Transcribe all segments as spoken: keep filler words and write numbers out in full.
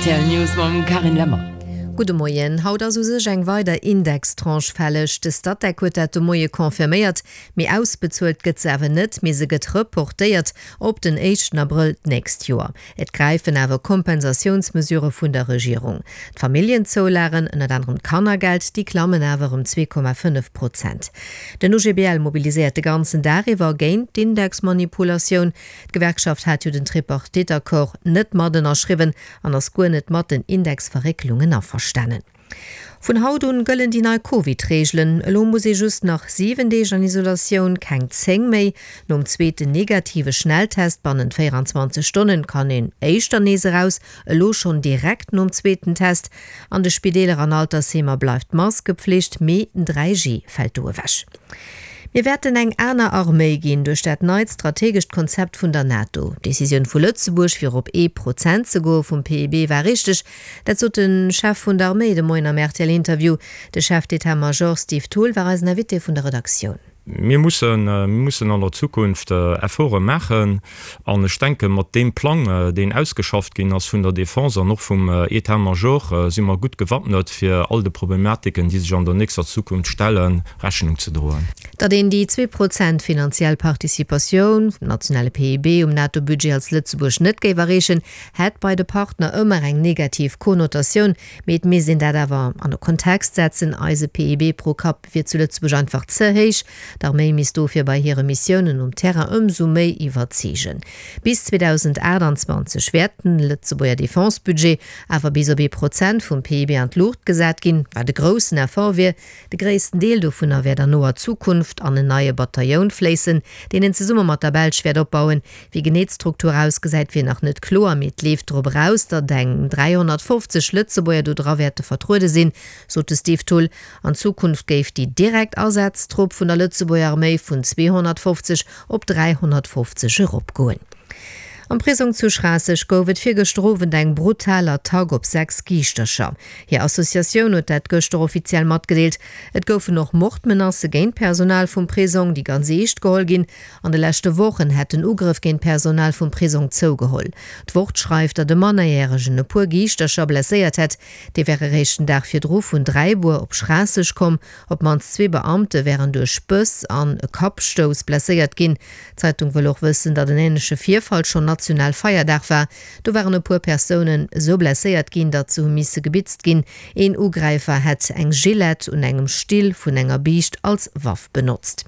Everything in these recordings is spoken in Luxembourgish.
Rtl News mam Carine Lemmer. Gudde Moien, Haut ass u sech eng weider Indextranche fälleg. De Statec huet dat de Moie confirméiert, mee ausbezuelt gëtt se awer net, mee se gëtt reportéiert op den éischten Abrëll d'nächst Joer. Et gräifen awer Kompensatiounsmesurë vun der Regierung. D'Familljenzoulagen, ënnert anerem d'Kannergeld, déi klammen awer ëm zwee Komma fënnef Prozent. Den O G B L mobiliséiert de ganzen Dag iwwer géint d'Indexmanipulatioun. D'Gewerkschaft hat jo den Tripartite-Accord net mat ënnerschriwwen an ass guer net mat den Indexverrécklungen averstanen. Vun haut un gëllen déi nei Covid-Reegelen. Elo muss ee just nach siwen Deeg an Isolatioun, keng zéng méi. Nom zweeten negative Schnelltest bannent véierundzwanzeg Stonnen kann een éischter nees eraus, elo schonn direkt nom zweeten Test. An de Spideeler an Altersheemer bleift d'Maskepflicht, mee dräi G fält do ewech. Mir wäerten eng aner Arméi ginn duerch dat neit strategescht Konzept vun der NATO. D'Decisioun vu Lëtzebuerg, fir op ee Prozent ze goe vum P I B, war richteg. Dat sot de Chef vun der Arméi de Moien am R T L-Interview. De Chef d'état-major Steve Thull war eisen Invité vun der Redaktioun. Mir mussen, mir mussen an der Zukunft Efforte maachen. An ech denke mat deem Plang, deen ausgeschafft ginn ass vun der Defense an och vum État-major, si mer gutt gewappnet fir all de Problematiken, déi sech an der nächster Zukunft stellen, Rechnung ze droen. Datt een déi zwee Prozent finanziell Participatioun vum nationale P I B um NATO-Budget als Lëtzebuerg net géif erreechen, hätt bei de Partner ëmmer eng negativ Konnotatioun. Mee et misst een dat awer an de Kontext setzen. Eise P I B pro Kapp wier zu Lëtzebuerg einfach ze héich. D'Arméi misst dofir bei hire Missiounen um Terrain ëmsou méi iwwerzeegen. Bis zweedausendachtundzwanzeg wäert den Lëtzebuerger Defense-Budget awer bis op ee Prozent vum P I B an d'Luucht gesat ginn, wat de groussen Effort wier. De gréissten Deel dovunner wäert an noer Zukunft an en neie Bataillon fléissen, deen en zesumme mat der Belsch wäert opbauen. Wéi genee d'Struktur ausgesäit, wier nach net kloer, mee et leeft drop eraus, datt eng dreihundertfofzeg Lëtzebuerger do dra wäerte vertruede sinn, sot de Steve Thull. An Zukunft géif déi direkt Ersatztrupp vun der Lëtzebuerger Arméi vun zweehundertfofzeg op dreihundertfofzeg eropgoen. Am Prisong zu Schraasseg gouf et virgëschter Owend eng brutal Attack op sechs Giischtercher. Hir Associatioun huet dat gëschter offiziell matgedeelt. Et goufen och Mordmenacë géint Personal vum Prisong, déi ganz eescht geholl ginn. An de leschte Wochen hätt den Ugrëff géint Personal vum Prisong zougeholl. D'Wort schreift, datt e Mannerjäregen e puer Giischtercher blesséiert hätt. Dee wär eréischt den Dag virdru vun Dräibuer op Schraasseg komm. Op d'mannst zwee Beamte wären duerch Bëss an e Kappstouss blesséiert ginn. D'Zeitung wëll och wëssen, datt en ähnleche Virfall schonn national Feierdag war. Do waren e puer Persounen sou blesséiert ginn, datt se hu misse gebitzt ginn. Een Ugräifer hätt eng Gillette un engem Still vun enger Biischt als Waff benotzt.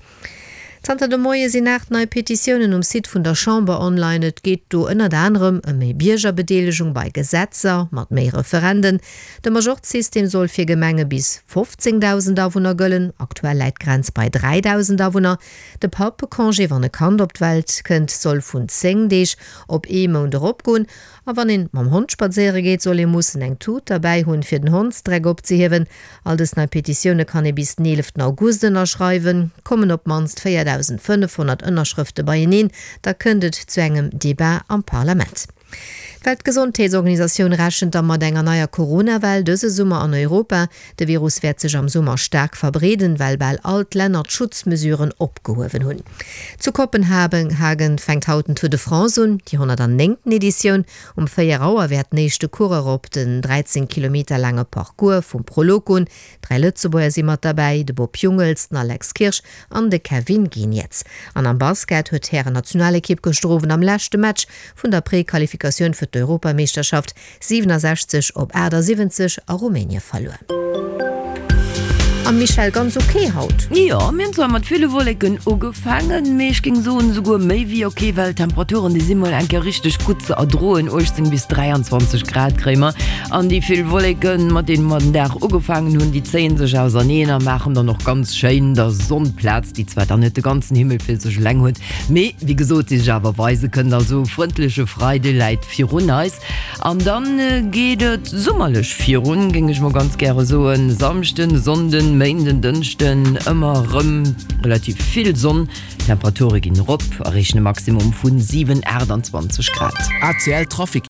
Zanter de Moie sinn acht nei Petitiounen um Site vun der Chamber online. Et geet do ënnert anderem ëm méi Biergerbedeelegung bei Gesetzer mat méi Referenden. De Majorzsystem soll fir Gemenge bis fofzéngdausend Awunner gëllen. Aktuell läit d'Grenz bei dräidausend Awunner. De Pappecongé, wann e Kand op d'Welt kënnt, soll vun zéng Deeg op ee Mount eropgoen. A wann een mam Hond spadséiere geet, soll ee mussen eng Tut derbäi hunn, fir den Hondsdreck opzehiewen. All dës nei Petitioune kann ee bis den eleften August ënnerschreiwen. Kommen op d'mannst véierdausendfënnefhonnert Ënnerschrëfte beieneen, da kënnt et zu engem Debat am Parlament. D'Weltgesondheetsorganisatioun rechent da mat enger neier Corona-Well dëse Summer an Europa. De Virus wäert sech am Summer stark verbreeden, well bal all d'Länner d'Schutzmesuren opgehuewen hunn. Zu Kopenhagen fänkt haut den Tour de France un, déi honnertneunten Editioun. Um véier Auer wäert den éischte Coureur op den dreizéng Kilometer laange Parcours vum Prolog goen. Dräi Lëtzebuerger si mat derbäi, de Bob Jungels, den Alex Kirsch an de Kevin Geniets. An am Basket huet d'Hären Nationalekipp gëschter Owend am leschte Match vun der Prequalifikatioun fir d'Europameeschterschaft siewenundsechzeg op achtundsiwwenzeg a Rumänien verloren. Am Michel, ganz okay haut. Ja, mir hunn zwar mat ville Wolleken ugefaangen, mee ech géing soen, souguer méi wéi okay, well d'Temperaturen, déi si mol eng Kéier richteg gutt ze erdroen, achtzehn bis dräiundzwanzeg Grad kréie mer. An déi vill Wolleken, mat deenen mer den Dag ugefaangen hunn, déi zéien sech auserneen a maachen dann och ganz schéin der Sonn Plaz, déi zwar dann net de ganzen Himmel fir sech eleng huet, mee wéi gesot, déi sech awer weise kënnt. Also frëndleche Freide läit virun eis. An dann geet et sommerlech virun, géing ech mol ganz gäre soen. Samschden, Sonnden, Méinden, Dënschden, ëmmer rëm relativ vill Sonn. Temperature ginn erop, erreechen e Maximum vun siwen, achtundzwanzeg Grad. A C L Trafic.